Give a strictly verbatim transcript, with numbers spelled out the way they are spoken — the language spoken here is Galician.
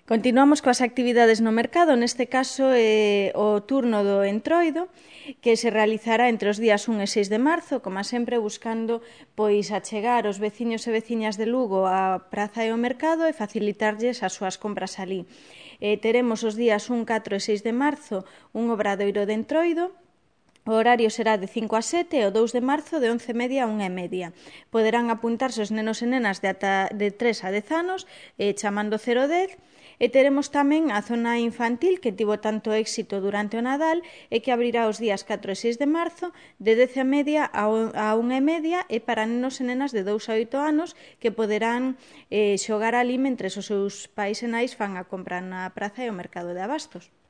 Continuamos coas actividades no mercado, neste caso é o turno do Entroido, que se realizará entre os días un e seis de marzo, como sempre buscando pois achegar os veciños e veciñas de Lugo á praza e ao mercado e facilitarlles as súas compras alí. Eh, teremos os días un, catro e seis de marzo un obradoiro de Entroido. O horario será de cinco a sete e o dous de marzo de once e media a unha e media. Poderán apuntarse os nenos e nenas de, ata, de tres a dez anos eh, chamando cero dez e teremos tamén a zona infantil que tivo tanto éxito durante o Nadal e que abrirá os días catro e seis de marzo de dez e media a unha e media e para nenos e nenas de dous a oito anos que poderán eh, xogar ali mentres os seus pais e nais fan a compra na praza e o mercado de abastos.